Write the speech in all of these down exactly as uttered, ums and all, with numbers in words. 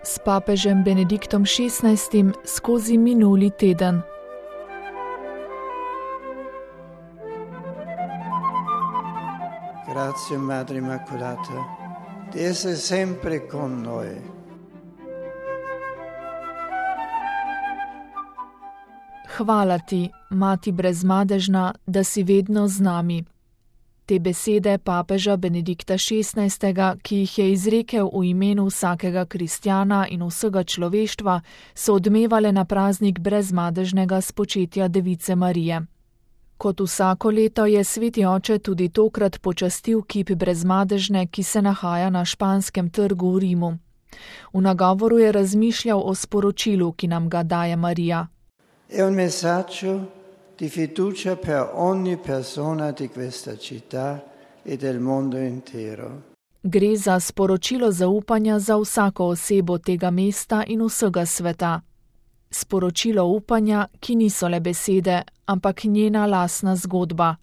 s papežem Benediktom šestnajstim skozi minuli teden. Grazie Madre Immacolata, di essere sempre con noi. Hvala ti, Mati brezmadežna, da si vedno z nami. Te besede papeža Benedikta šestnajstega, ki jih je izrekel v imenu vsakega kristjana in vsega človeštva, so odmevale na praznik brezmadežnega spočetja Device Marije. Kot vsako leto je sveti oče tudi tokrat počastil kip brezmadežne, ki se nahaja na Španskem trgu v Rimu. V nagovoru je razmišljal o sporočilu, ki nam ga daje Marija. È un messaggio di fiducia per ogni persona di questa città e del mondo intero. Gre za sporočilo zaupanja za vsako osebo tega mesta in vsega sveta. Sporočilo upanja, ki niso le besede, ampak njena lastna zgodba.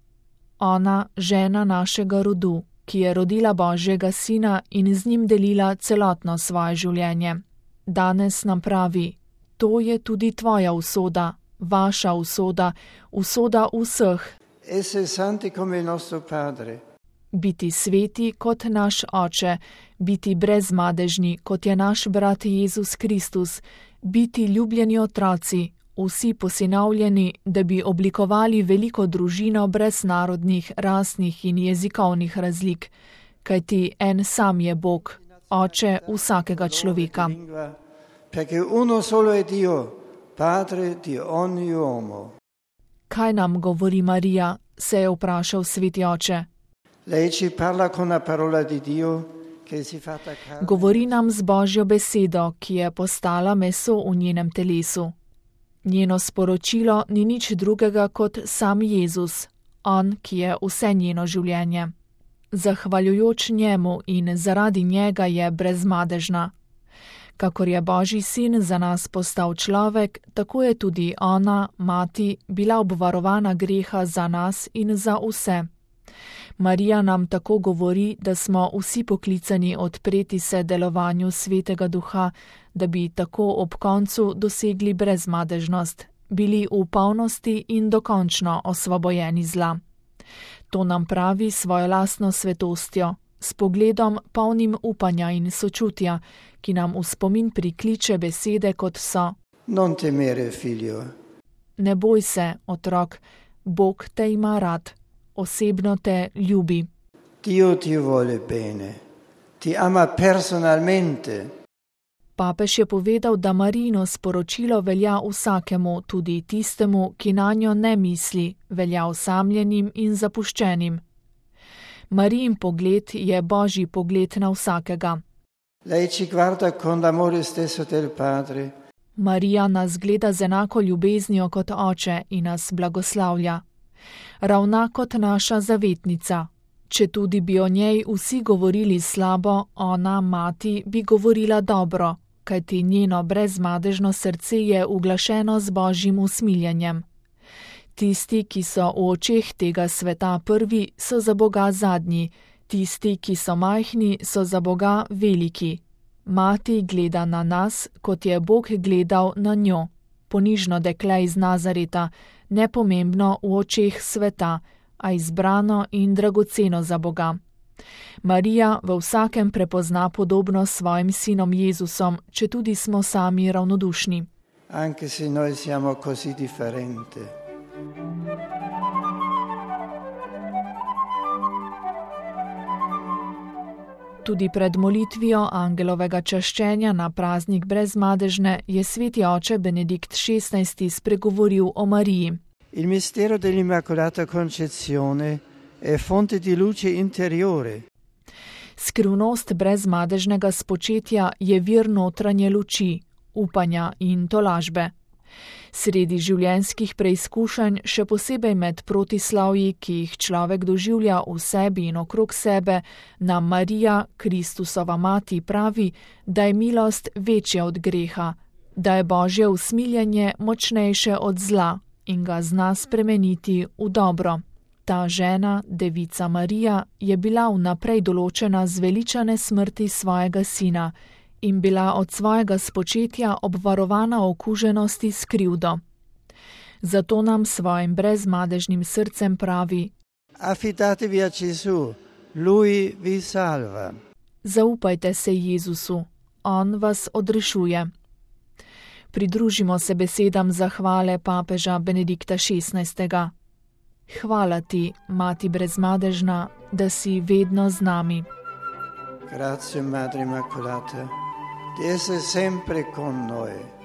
Ona, žena našega rodu, ki je rodila Božjega sina in z njim delila celotno svoje življenje. Danes nam pravi: to je tudi tvoja usoda, vaša usoda, usoda vseh. Essere santi come il nostro Padre. Biti sveti kot naš Oče, biti brezmadežni kot je naš brat Jezus Kristus, biti ljubljeni otroci, vsi posinovljeni, da bi oblikovali veliko družino brez narodnih, rasnih in jezikovnih razlik, kajti en sam je Bog, Oče vsakega človeka. Perché uno solo è Dio, Padre di ogni uomo. Kaj nam govori Marija, se je vprašal sveti oče. Lei ci parla con la parola di Dio che si fatta carne. Govori nam z Božjo besedo, ki je postala meso v njenem telesu. Njeno sporočilo ni nič drugega kot sam Jezus, on, ki je vse njeno življenje. Zahvaljujoč njemu in zaradi njega je brezmadežna. Kakor je Božji sin za nas postal človek, tako je tudi ona, mati, bila obvarovana greha za nas in za vse. Marija nam tako govori, da smo vsi poklicani odpreti se delovanju Svetega Duha, da bi tako ob koncu dosegli brezmadežnost, bili v polnosti in dokončno osvobojeni zla. To nam pravi svojo lastno svetostjo, s pogledom polnim upanja in sočutja, ki nam v spomin prikliče besede kot so: Non temere, figlio. Ne boj se, otrok, Bog te ima rad, osebno te ljubi. Dio ti vuole bene, ti ama personalmente. Papež je povedal, da Marijino sporočilo velja vsakemu, tudi tistemu, ki nanjo ne misli, velja osamljenim in zapuščenim. Marijin pogled je Božji pogled na vsakega. Lei ci guarda con l'amore stesso del Padre. Marija nas gleda z enako ljubeznijo kot oče in nas blagoslavlja. Ravna kot naša zavetnica. Če tudi bi o njej vsi govorili slabo, ona, mati, bi govorila dobro, kajti njeno brezmadežno srce je uglašeno z Božjim usmiljenjem. Tisti, ki so v očeh tega sveta prvi, so za Boga zadnji, tisti, ki so majhni, so za Boga veliki. Mati gleda na nas, kot je Bog gledal na njo, ponižno dekle iz Nazareta, nepomembno v očeh sveta, a izbrano in dragoceno za Boga. Marija v vsakem prepozna podobno s svojim sinom Jezusom, če tudi smo sami ravnodušni. Anche se noi siamo così differenti. Tudi pred molitvijo angelovega čaščenja na praznik brezmadežne je sveti oče Benedikt šestnajsti spregovoril o Mariji. Il mistero dell'Immacolata Concezione è fonte di luce interiore. Skrivnost brezmadežnega spočetja je vir notranje luči, upanja in tolažbe. Sredi življenjskih preizkušanj, še posebej med protislavji, ki jih človek doživlja v sebi in okrog sebe, nam Marija, Kristusova mati, pravi, da je milost večja od greha, da je Božje usmiljenje močnejše od zla in ga zna spremeniti v dobro. Ta žena, Devica Marija, je bila vnaprej določena zveličane smrti svojega sina in bila od svojega spočetja obvarovana okuženosti s krivdo. Zato nam svojim brezmadežnim srcem pravi: Affidatevi a Gesù, Lui vi salva. Zaupajte se Jezusu, On vas odrešuje. Pridružimo se besedam zahvale papeža Benedikta šestnajstega. Hvala ti, Mati brezmadežna, da si vedno z nami. Grazie, Madre Immacolata, di essere sempre con noi.